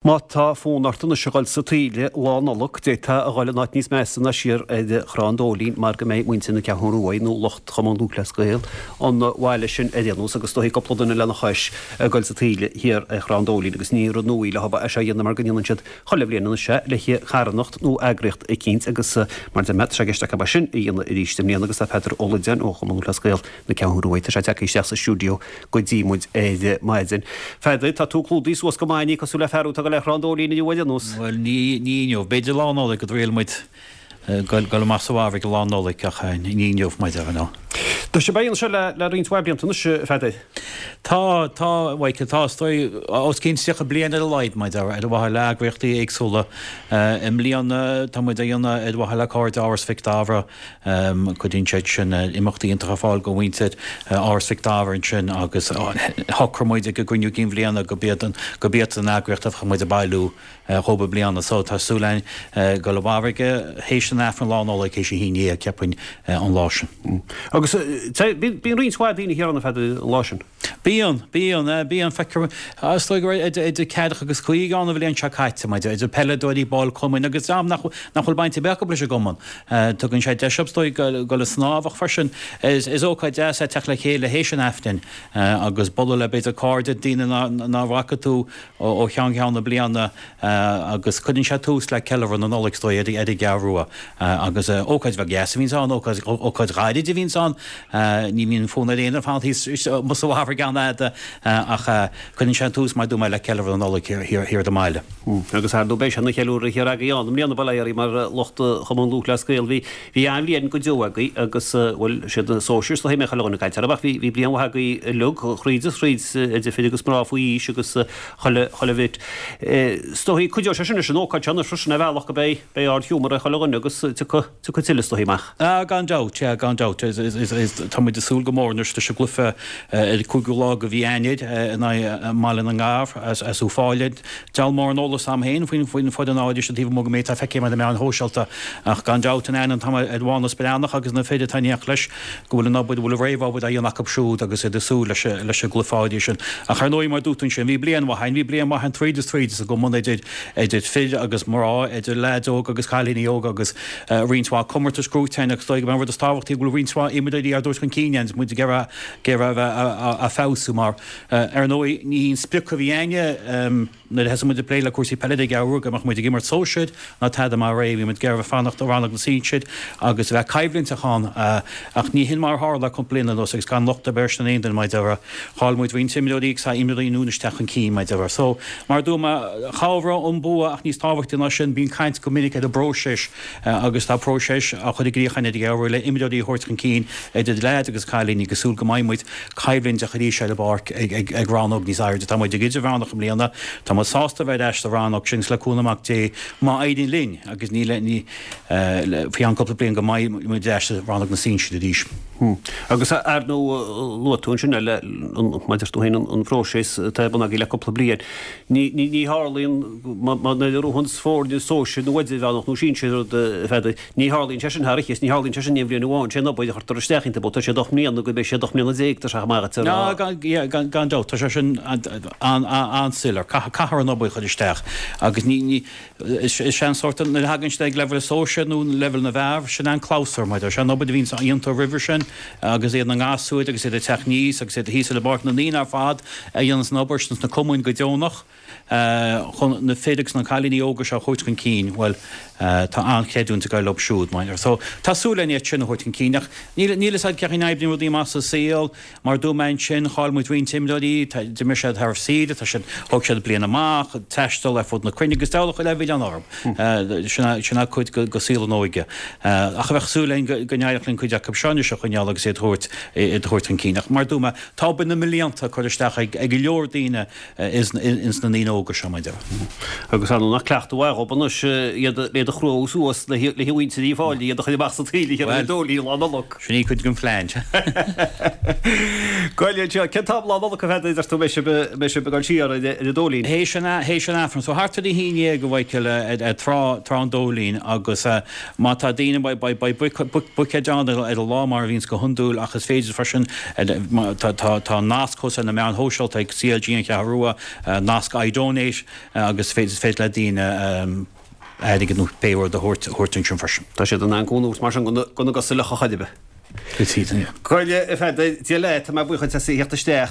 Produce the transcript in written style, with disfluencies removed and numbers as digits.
Má tá fonn ort anois a dhul sa taoille Lá Nollag, d'fhéadfá a dhul in áit níos measa ná siar ar Thrá an Dóilín mar go mbeidh muintir na Ceathrún Rua nó lucht Chumann Lúthchleas Gael an bhaile sin ar aon nós agus is dóichí cúpla duine lena chois ag dul sa taoille thiar ar Thrá an Dóilín agus ní rud nua leo é seo a dhéanamh mar go ndéanann siad chuile bhliain anois é le carthanacht nó eagraíocht eicínt agus mar a deir mé tá sé i gceist acu é sin a dhéanamh arís i mbliana agus tá Peadar Ó Loideáin ó Chumann Lúthchleas Gael na Ceathrún Rua tá sé tagtha isteach sa stiúideo go dtí muid ar maidin. Pheadair, tá tú clúdaithe suas go maith, ní cosúil le fear atá ag dul ar Thrá an Dóilín inniu ar aon nós. Bhuel, ní inniu. B'fhéidir Lá Nollag go dtriailfidh muid dul amach sa bhfarraige Lá Nollag ach ní inniu, mar a déarfá, no. Tá sibh á dhéanamh seo le roinnt mhaith blianta anois, a Pheadair. Tá, tá, a Mhichael, tá, is dóigh, os cionn 30 bliain ar a laghad, mar a déarfá, ar mhaithe le eagraíochtaí éagsúla. I mbliana, tá muid á dhéanamh ar mhaithe le Cairde Áras Mhic Dara. Cuireann siad sin imeachtaí iontacha ar fáil do mhuintir Áras Mhic Dara ansin agus shocraigh muid ag an gcruinniú cinn bhliana go b'iad an go b'iad an eagraíocht a bheadh muid ag bailiú dhóibh i mbliana. So tá súil againn dul i bhfarraige théis an Aifrinn Lá Nollag théis a 11 cheapfainn an lá sin. Agus bíonn roinnt mhaith daoine thiar ann a Pheadair an lá sin. Bíonn, bíonn, bíonn. Feictear, is dóigh go raibh idir ceathracha agus 50 ann an bhliain seo caite, maidir, idir peileadóirí, baill cumainn agus dream nach, nach bhfuil baint ar bith acu leis an gcumann. Tugann sé deis dóibh, is dóigh, dul ag snámh ach freisin is, is ócáid deas é teacht le chéile théis an Aifrinn agus bualadh le b'fhéidir cairde, daoine ná bhfaca tú ó cheann ceann na bliana. Agus cuireann sé tús le ceiliúradh na Nollag, is dóigh, ar an gCeathrú Rua. Agus ócáid bheag dheas a bhíonns ann, ócáid, ócáid ghairid a bhíonns ann. Ní bhíonn fonn ar éinne fanacht thíos amuigh sa bhfarraige an-fhada ach cuireann sé tús, mar a dúirt mé, le ceiliúradh na Nollag thiar, thiar ar an mbaile. Agus ar ndóigh beidh sé ina cheiliúradh thiar agaibh ann i mbliana, bail ó Dhia oraibh mar lucht Chumann Lúthchleas Gael. Bhí, bhí an-bhliain go deo agaibh agus, bhuel, siad na sóisir is dóichí a mbeadh chuile dhuine ag caint orthu ach bhí, bhí bliain mhaith agaibh uilig, thríd is thríd, idir fir agus mná faoi aois agus, chuile, chuile bhit. Is dóichí, cuideoidh sé sin leis an ócáid seo anois freisin ar bhealach go beidh, beidh ard-ghiúmar ar chuile dhuine agus tiocfaidh, tiocfaidh tuilleadh is dóichí amach. Ah, gan dabht, yeah, gan dabht. Is, is, is, is, tá muid ag súil go mór anois leis an gcluiche ar an 5ú lá de mhí Eanáir in aghaidh Bhaile na nGadhar as, as Uíbh Fhailí. Deabhal mórán eolas a'm féin faoin, faoin foireann áirithe sin taobh amuigh den méid atá feicthe ar na meáin shóisialta ach gan dabht an aithne atá ar Mhánas Breathnach agus na fir atá in éineacht leis go bhfuil an obair, go bhfuil an réamhobair á dhéanamh acu siúd agus iad ag súil leis leis an gcluiche áirithe sin. Ach ar ndóigh, mar a dúirt tú ansin, bhí bliain mhaith againn, bhí bliain mhaith againn tríd is tríd sa gcumann idir idir fir agus mná, idir leaids óga agus cailíní óga agus roinnt mhaith comórtais gnóite againn agus is dóigh gurb é an rud is tábhachtaí go bhfuil roinnt mhaith imreoirí á dtabhairt chun cinn againn agus muid ag iarraidh ag iarraidh a bheith á feabhsú mar ar ndóigh ní hí an sprioc a bhí againne, Nuair a thosaigh muid ag plé le cúrsaí peile ar an gCeathrú Rua go mbeadh muid ag imirt sóisir ná tada mar é, bhí muid ag iarraidh fanacht i rannóg na sinsir agus a bheith coimhlinteach ann ach ní hin mar a tharla le cúpla bliain anuas agus gan locht ar bith air sin aon duine mar a déarfá. Chaill muid roinnt imreoirí agus tá imreoirí nua anois ag teacht chun cinn mar a déarfá. So, mar a dúirt mé, chabhraigh an bua ach níos tábhachtaí ná sin bíonn caint go minic ar an bpróiseas agus tá próiseas á chur i gcrích againn ar an gCeathrú Rua le imreoirí a thabhairt chun cinn idir leaids agus cailíní agus súil go mbeidh muid coimhlinteach arís ar an bpáirc ag rannóg níos airde. Tá muid ag idirmheánach i mbliana. Tá muid sásta a bheith ar ais sa rannóg sin agus le cúnamh amach Dé má éiríonn linn agus ní le faoi cheann cúpla bliain go mbeidh muid ar ais sa rannóg na sinsear arís. Agus ar ndóigh luaigh tú ansin le mar a deir tú féin an phróiseas atá ar bun agaibh le cúpla bliain. Ní tharlaíonn nuair a ghnóthaíonns foirne sóisir nó idirmheánach nó sinsir rud a Pheadair. Ní tharlaíonn sé sin thar oíche is ní tharlaíonn sé sin in aon bhliain amháin. Sé an obair a chuirtear isteach iontu, tá sé 8 mbliana go mbeidh sé 18 mbliana tá sé amach ag Ná, gan dabht, tá sé sin an-soiléir. Caithfear an obair a chur isteach agus ní, is é an sórt, nuair a thagann siad ag leibhéal sóisir nó leibhéal na bhfear, sin an clabhsúr, mar sé an obair a bhíonns iontu roimhe sin agus iad ina ngasúir agus iad ag teacht aníos agus iad thíos ar an bpáirc, na daoine ar fad a dhéananns an obair sna cumainn go deonach. chun na fir agus na cailíní óga seo a thabhairt chun cinn, bhuel, tá an-chreidiúint ag dul leo siúd. Mar so, tá súil againn iad sin a thabhairt chun cinn. Ach níl, níl fhios a'd cén chaoi a n-oibríonn rudaí amach sa saol. Mar a dúirt mé ansin, chaill muid roinnt imreoirí, tá, d'imir siad thar saoire, tá siad, thóg siad bliain amach, taisteal ar fud na cruinne agus deabhal a chuile mhilleán orthu. Sin é, sin é cuid de, de saol an óige. Ach bheadh súil againn go, go n-éireodh linn cuid acu seo anois a choinneáil agus iad a thabhairt, iad a thabhairt chun cinn. Ach mar a dúirt mé, tá obair na mblianta curtha isteach ag, ag go leor daoine, ins na ndaoine óga seo, mar a déarfá. Agus ar ndóigh nach cleachtadh mhaith dhób anois iad iad a chrú suas le muintir Uíbh Fhailí, iad a chur amach sa taoille thiar ar an Dóilín Lá Nollag. Sin í cuid den phlean. Gabh i leith anseo. Cén t-am Lá Nollag a Pheadair a deir tú a mbeidh sibh a mbeidh sibh ag dul siar ar an Dóilín? Théis an théis an Aifrinn. So thart ar a haon dhéag a Mhichael ar trá trá an Dóilín agus má tá daoine beidh beidh beidh buicéid ann ar an lá mar a bhíonns go hiondúil ach is féidir freisin tá nasc thuas ar na meáin shóisialta ag CLG An Cheathrú Rua, nasc iDonate. Donate agus is féidir le daoine airgead nó pé rud a thabhairt ansin freisin. Tá siad in ann cúnamh a thabhairt mar sin gona gcosa fhliucha chor ar bith. Is iad, yeah. Go raibh, a Pheadair, Dia leat, tá mé buíoch duit as a theacht isteach.